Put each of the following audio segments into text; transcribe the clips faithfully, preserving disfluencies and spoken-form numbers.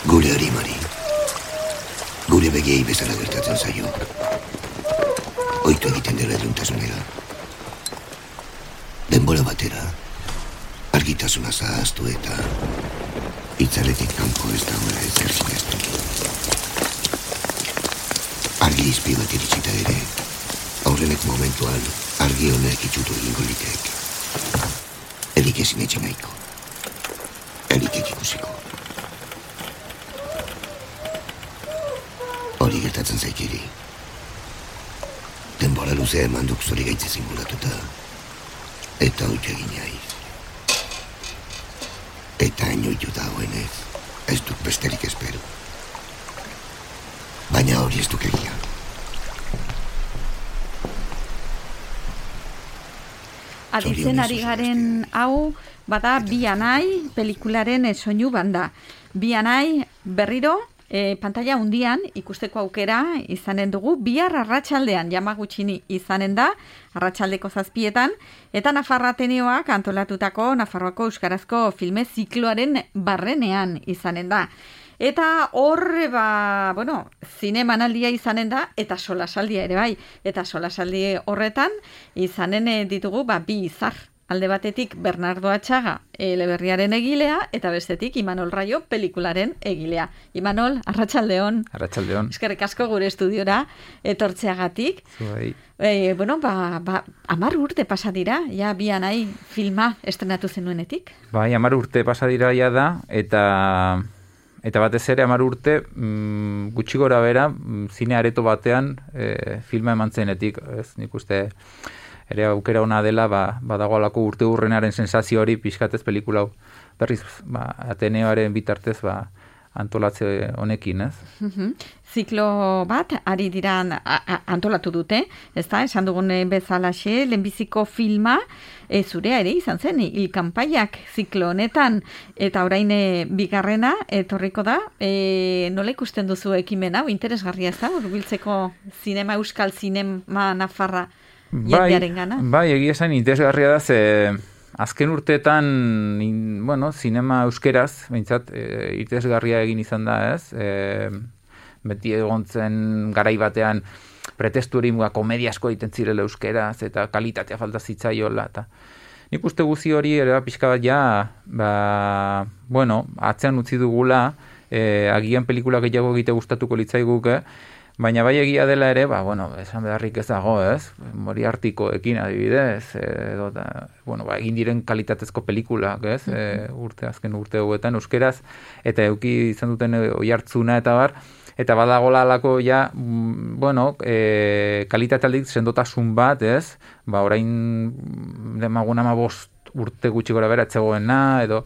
Gure harimari. Gure begiei bezala gertatzen zaio. Oitu egiten dela eduntasunera. Denbora batera, argitasuna zahaztu eta itzaletik kanpo ez dagoela ezer sinestu. Argi izpi bat iritsita ere, aurrenek momentuan argi honek itxutu egingo litek. Erik ezin etxe nahiko. Erik ikusiko. Hori gertatzen zaikiri. Denbora luzea eman duk zori gaitze zinguratuta. Eta hori egin jaiz. Eta inoitu dagoenez, ez duk besterik espero. Baina hori ez duk egia. Aditzen ari garen hau, bada Bi anai pelikularen soinu banda. Bi anai berriro, E, pantalla hundian ikusteko aukera izanen dugu, bihar arratsaldean Yamagutxini izanen da, arratsaldeko zazpietan, eta Nafarra Ateneoak antolatutako Nafarroako Euskarazko filme zikloaren barrenean izanen da. Eta horre, ba, bueno, zinemanaldia izanen da, eta solasaldia ere bai, eta solasaldi horretan izanen ditugu, ba, bi izar. Alde batetik Bernardo Atxaga eleberriaren egilea, eta bestetik Imanol Raio pelikularen egilea. Imanol, arratsaldeon. Arratsaldeon. Eskerrik asko gure estudiora etortzeagatik. Zuei. E, bueno, ba, ba, amar urte pasa dira, ja Bi anai filma estrenatu zenuenetik. Bai, amar urte pasa dira ja da, eta eta batez ere amar urte mm, gutxi gora bera, mm, zine areto batean e, filma eman zenetik, ez nik uste ere aukera ona dela, ba, badagoalako urte hurrenaren sensazio hori pixkatez pelikula berriz, ba, Ateneoaren bitartez, ba, antolatze honekin, ez? Uh-huh. Ziklo bat, ari dira antolatu dute, ez da, esan dugun bezalaxe, lehenbiziko filma, e, zurea ere izan zen, hilkanpaiak ziklo honetan, eta orain bigarrena, etorriko da, e, nola ikusten duzu ekimen hau, interesgarria ez da, hurbiltzeko zinema, euskal zinema Nafarra, Bai, bai, egia esan interesgarria da, ze azken urteetan, in, bueno, zinema euskeraz, behintzat, e, interesgarria egin izan da, ez? E, beti egon zen garai batean pretesturi muga komediasko egiten zirela euskeraz, eta kalitatea falta zitzaiola, eta nik uste guzi hori ere pixka bat ja, ba, bueno, atzean utzi dugula, e, agian pelikula gehiago egite gustatuko litzaiguke, baina bai egia dela ere, ba, bueno, esan beharrik ez dago, ez? Moriartikoekin adibidez, edo, da, bueno, ba, egin diren kalitatezko pelikulak, ez? E, urte, azken urte hauetan, euskeraz, eta euki izan duten oihartzuna eta bar, eta badagola alako ja, bueno, e, kalitatealdik sendotasun bat, ez? Ba, orain demagun ama bost urte gutxi gora bera etzegoena, edo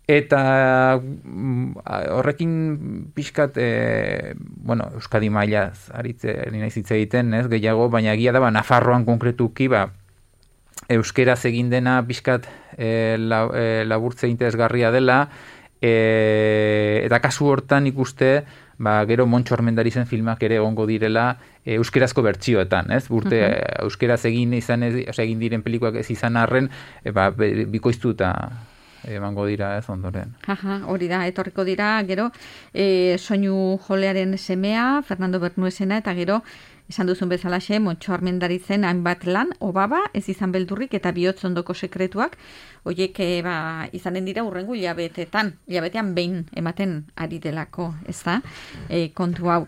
eta horrekin pixkat, e, bueno, Euskadi mailaz aritze, naiz hitz egiten, ez, gehiago, baina egia da, ba, Nafarroan konkretuki, ba, euskeraz egin dena pixkat e, la, e, laburtze interesgarria dela, e, eta kasu hortan ikuste, ba, gero Montxo Armendarizen filmak ere egongo direla e, euskerazko bertsioetan, ez? Urte uh-huh. euskeraz egin izan, ez, osea, egin diren pelikuak ez izan arren, e, ba, bikoiztuta emango dira, ez, ondoren. Aha, hori da, etorriko dira, gero, e, soinu jolearen semea, Fernando Bernuesena, eta gero, esan duzun bezalaxe, Montxo Armendarizen hainbat lan, Obaba, ez izan beldurrik, eta Bihotz ondoko sekretuak, horiek e, ba, izanen dira urrengo hilabetetan, hilabetean behin ematen ari delako, ez da, e, kontu hau.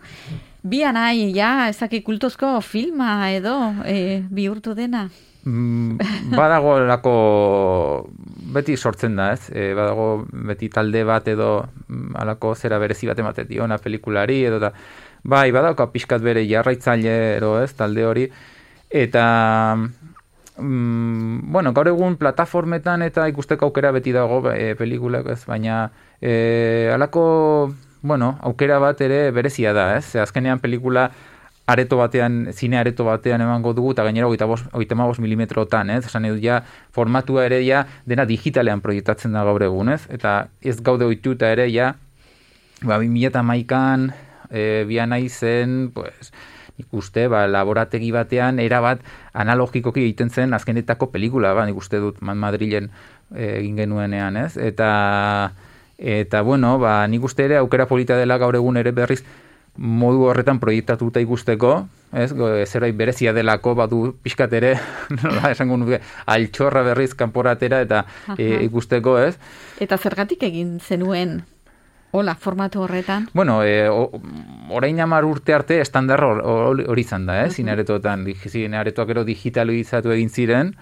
Bi anai, ja, ezaki kultozko filma edo, e, bihurtu dena? Badago lako beti sortzen da, ez? E, badago beti talde bat edo alako zera berezi bat ematen diona pelikulari edo da. Bai, badauka pixkat bere jarraitzaile ero, ez? Talde hori. Eta mm, bueno, gaur egun plataformetan eta ikusteko aukera beti dago e, pelikulak, ez? Baina e, alako, bueno, aukera bat ere berezia da, ez? Azkenean pelikula areto batean, zine areto batean emango dugu, eta gainera hogeita hamabost milimetrotan, ez? Esan edo ja, formatua ere ja, dena digitalean proiektatzen da gaur egun, ez? Eta ez gaude ohituta ere ja, ba, bi mila hamaikan, e, Bi anai zen, pues, ikuste, ba, laborategi batean, erabat analogikoki egiten zen azkenetako pelikula, ba, nik uste dut Madrilen e, egin genuenean, ez? Eta Eta, bueno, ba, nik uste ere aukera polita dela gaur egun ere berriz modu horretan proiektatuta ikusteko, ez, zerbait berezia delako badu pixkat ere, nola esango nuke, altxorra berriz kanporatera eta e, ikusteko, ez? Eta zergatik egin zenuen hola, formatu horretan? Bueno, e, orain hamar urte arte estandar hori izan da, eh? Zinaretotan, zinaretoak ero digitalizatu egin ziren,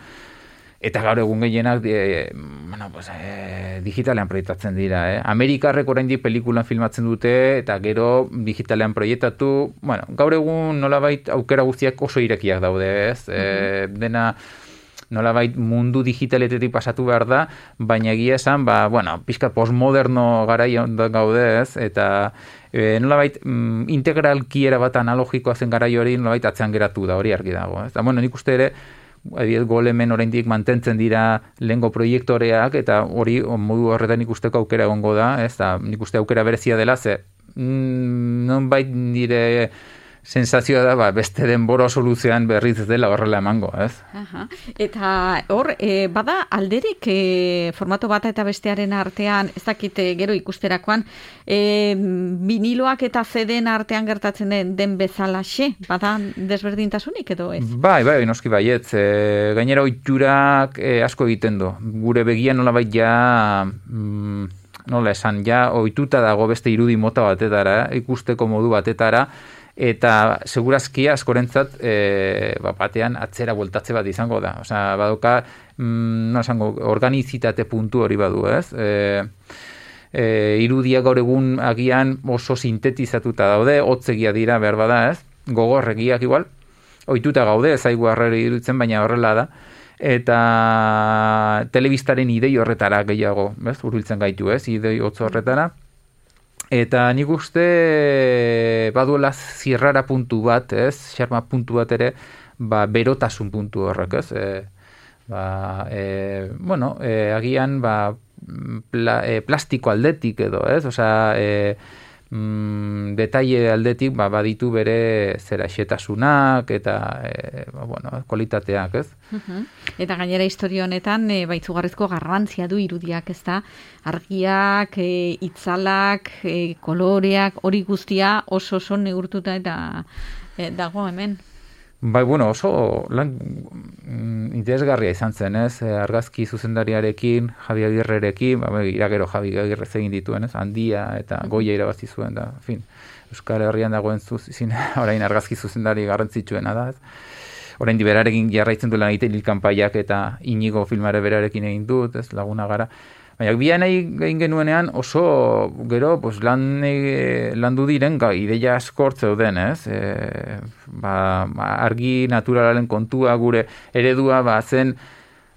eta gaur egun gehienak e, bueno, pues, e, digitalean proiektatzen dira. Eh? Amerikarrek oraindik pelikulan filmatzen dute, eta gero digitalean proiektatu. Bueno, gaur egun nolabait aukera guztiak oso irekiak daude, ez? E, dena nolabait mundu digitaletetik pasatu behar da, baina egia esan, ba, bueno, pixka postmoderno garaian gaude, ez? Eta e, nolabait mm, integralki erabat analogikoa zen garai hori nolabait atzean geratu da, hori argi dago. Ez? Eta, bueno, nik uste ere, Adiet, golemen oraindik mantentzen dira lehengo proiektoreak, eta hori modu horretan ikusteko aukera egongo da, ez da, nik uste aukera berezia dela, ze mm, non bait nire sensazioa da, ba, beste denbora soluzioan berriz dela horrela emango, ez? Aha. Eta hor, e, bada alderik e, formato bata eta bestearen artean, ez dakite gero ikusterakoan, e, viniloak eta C D-en artean gertatzen den, den bezalaxe, bada desberdintasunik edo ez? Bai, bai, noski baietz. E, gainera oiturak e, asko egiten du. Gure begia nolabait ja... Mm, nola esan, ja ohituta dago beste irudi mota batetara, ikusteko modu batetara, eta segurazki askorentzat e, ba, batean atzera bueltatze bat izango da. Osea, badoka, mm, no esango, organizitate puntu hori badu, ez? E, e, irudia gaur egun agian oso sintetizatuta daude, hotzegia dira behar bada, ez? Gogorregiak igual, ohituta gaude, ez zaigu harrera iruditzen, baina horrela da. Eta telebistaren idei horretara gehiago, ez? Hurbiltzen gaitu, ez? Idei hotz horretara. Eta nik uste baduela zirrara puntu bat, ez? Xarma puntu bat ere, ba, berotasun puntu horrek, ez? E, ba, e, bueno, e, agian, ba, pla, e, plastiko aldetik edo, ez? Osea, e, mm, detaile aldetik, ba, baditu bere zera xetasunak eta, e, ba, bueno, kualitateak, ez? Uh-huh. Eta gainera historia honetan e, baitzugarrizko garrantzia du irudiak, ez da? Argiak, e, itzalak, e, koloreak, hori guztia oso oso neurtuta eta e, dago hemen. Bai, bueno, oso lan mm, interesgarria izan zen, ez? Argazki zuzendariarekin, Javi Agirrerekin, ba, iragero Javi Agirre egin dituen, ez? Handia eta Goia irabazi zuen da, en fin. Euskal Herrian dagoen zuzin, orain argazki zuzendari garrantzitsuena da, ez? Orain berarekin jarraitzen duela egiten hilkanpaiak eta Inigo filmare berarekin egin dut, ez? Laguna gara. Baina bian egin genuenean oso gero pues, lan, e, landu diren ga, ideia askort zeuden, ez? E, ba, argi naturalaren kontua gure eredua ba, zen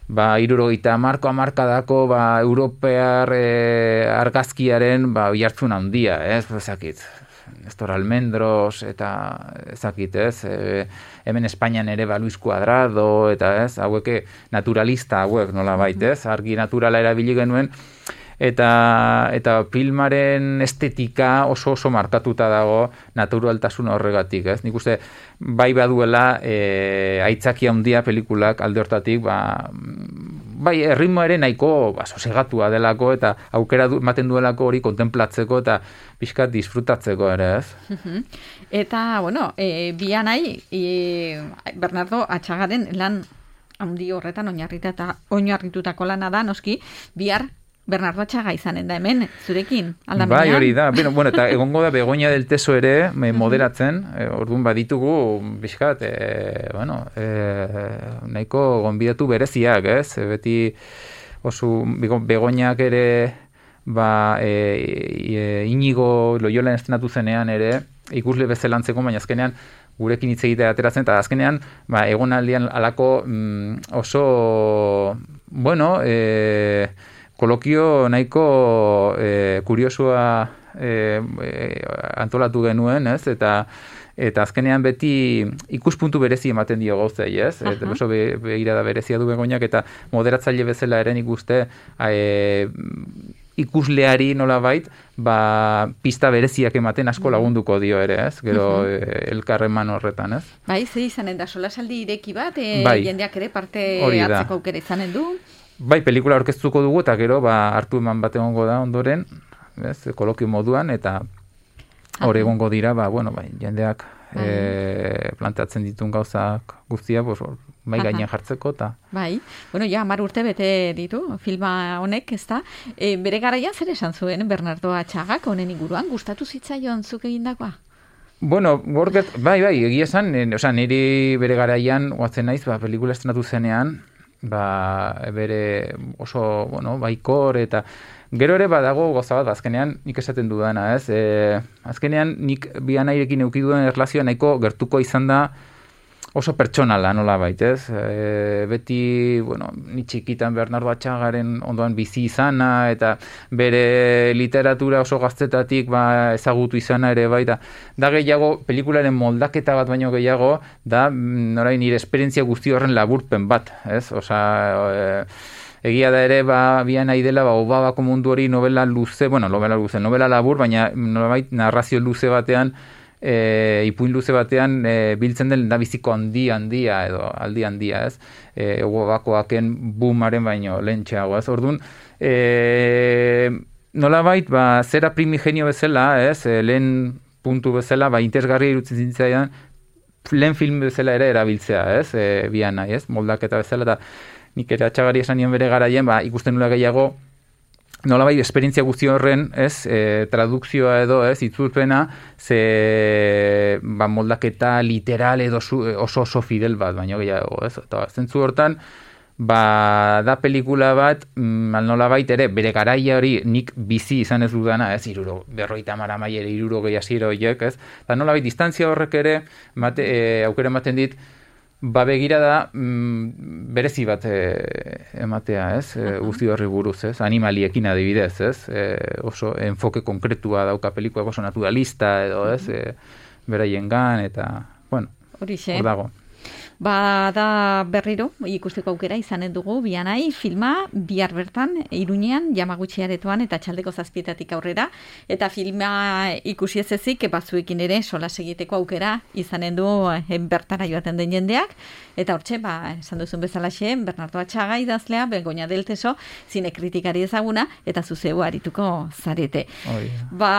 ba, irurogeita hamarko hamarkadako ba, europear e, argazkiaren ba, jartzun handia, ez? Ezakit, Nestor Almendros eta ezakit, ez? E, hemen Espainian ere ba, Luis Cuadrado eta ez? Haueke naturalista hauek nola baitez, argi naturala erabili genuen, eta eta filmaren estetika oso oso markatuta dago naturaltasun horregatik, ez? Nik uste bai baduela e, aitzaki handia pelikulak alde hortatik, ba, bai erritmo ere nahiko ba, sosegatua delako eta aukera du, ematen duelako hori kontemplatzeko eta pixkat disfrutatzeko ere, ez? Uh-huh. Eta, bueno, e, bian nahi, e, Bernardo Atxagaren lan handi horretan oinarritutako lana da, noski, bihar Bernardo Atxaga izanen da hemen, zurekin, aldamenean. Bai, hori da. Bueno, bueno, eta egongo da Begoña del Teso ere moderatzen, e, orduan baditugu, bizkat, e, bueno, e, nahiko gonbidatu bereziak, ez? E, beti oso Begoñak ere, ba, e, e, Inigo Loyolan estrenatu zenean ere, ikusle bezelantzeko, baina azkenean, gurekin hitz egitea ateratzen, eta azkenean, ba, egonaldian alako mm, oso, bueno, e, kolokio nahiko e, kuriosua e, e, antolatu genuen, ez? Eta eta azkenean beti ikuspuntu berezi ematen dio gauzei, ez? Eta oso be, begirada berezia du Begoñak eta moderatzaile bezala ere nik uste e, ikusleari nolabait, ba, pista bereziak ematen asko lagunduko dio ere, ez? Gero uh-huh. e, elkarreman horretan, ez? Bai, ze izanen da solasaldi ireki bat, e, bai. Jendeak ere parte hartzeko aukera izanen du. Bai, pelikula aurkeztuko dugu eta gero ba, hartu eman bat egongo da ondoren, ez, kolokio moduan, eta hor egongo dira, ba, bueno, bai, jendeak e, planteatzen ditun gauzak guztia, bos, bai gainean jartzeko, eta... Bai, bueno, ja, hamar urte bete ditu, filma honek, ez da, e, bere garaian zer esan zuen Bernardo Atxagak honen inguruan, gustatu zitzaion zuk egindakoa? Bueno, gorget, bai, bai, egia esan, oza, niri bere garaian, oatzen naiz, ba, pelikula estrenatu zenean, ba, bere oso, bueno, baikor, eta gero ere badago goza bat, azkenean nik esaten dudana, ez? E, azkenean nik bianairekin eukiduan erlazioa nahiko gertuko izan da oso pertsonala, nola baitez. E, beti, bueno, ni txikitan Bernardo Atxagaren ondoan bizi izana, eta bere literatura oso gaztetatik ba, ezagutu izana ere baita. Da gehiago, pelikularen moldaketa bat baino gehiago, da, norai nire esperientzia guzti horren laburpen bat, ez? Osa, e, egia da ere, ba, bian nahi dela, ba, Obabako mundu hori novela luze, bueno, novela luze, novela labur, baina nolabait narrazio luze batean, E, ipuin luze batean e, biltzen den dabiziko handi handia edo aldi handia, ez? E, Obakoaken boomaren baino lehentxeago, ez? Orduan, e, nolabait, ba, zera primigenio bezala, ez? E, lehen puntu bezala, ba, interesgarri irutzen zintzaidan, lehen film bezala ere erabiltzea, ez? E, bian nahi, ez? Moldaketa bezala, eta nik ere Atxagari esan nion bere garaien, ba, ikusten nula gehiago, nolabait, esperientzia guzti horren, ez, e, tradukzioa edo, ez, itzulpena, ze, ba, moldaketa literal edo su, oso oso fidel bat, baina gehiago, ez, eta zentzu hortan, ba, da pelikula bat, mm, nolabait ere, bere garaia hori nik bizi izan ez dudana, ez, iruro, berroita mara maiere, iruro gehi asiero horiek, ez, eta nolabait, distantzia horrek ere, mate, e, aukera ematen dit, ba begira da mm, berezi bat e, ematea, ez? E, guzti horri buruz, ez? Animaliekin adibidez, ez? E, oso enfoke konkretua dauka pelikua, oso naturalista edo, ez? E, beraiengan eta, bueno, hor dago. Ba, da berriro, ikusteko aukera izanen dugu, bianai, filma, bihar bertan, Iruñean, Yamaguchi aretoan, eta txaldeko zazpietatik aurrera, eta filma ikusi ez ezik, batzuekin ere, solas egiteko aukera izanen du eh, bertara joaten den jendeak, eta hortxe, ba, esan duzun bezalaxe, Bernardo Atxaga idazlea, Begoña del Teso, zine kritikari ezaguna, eta zuzeu arituko zarete. Oh, yeah. Ba,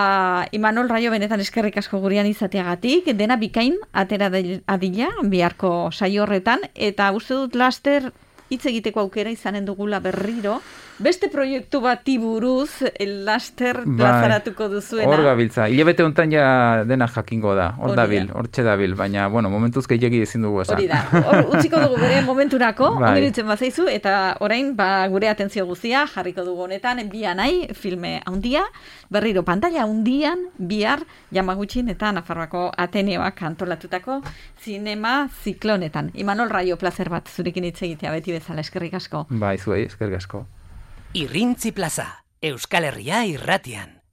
Imanol Raio benetan eskerrik asko gurean izateagatik, dena bikain, atera adila, biharko saio horretan, eta uste dut laster hitz egiteko aukera izanen dugula berriro, beste proiektu bati buruz laster plazaratuko duzuena. Hor gabiltza, hilabete hontan ja dena jakingo da, hor dabil, hortxe dabil, baina, bueno, momentuz gehiagi ezin dugu esan. Hori da, hor utziko dugu bere momenturako, bai. Ondiritzen bazaizu, eta orain, ba, gure atentzio guztia jarriko dugu honetan, bianai, filme handia, berriro pantalla handian, bihar, Yamagutxin eta Nafarroako Ateneoak antolatutako zinema ziklonetan. Imanol Raio, plazer bat, zurekin hitz egitea, beti bezala, eskerrik asko. Bai, zuei, eskerrik asko. Irrintzi plaza, Euskal Herria irratian.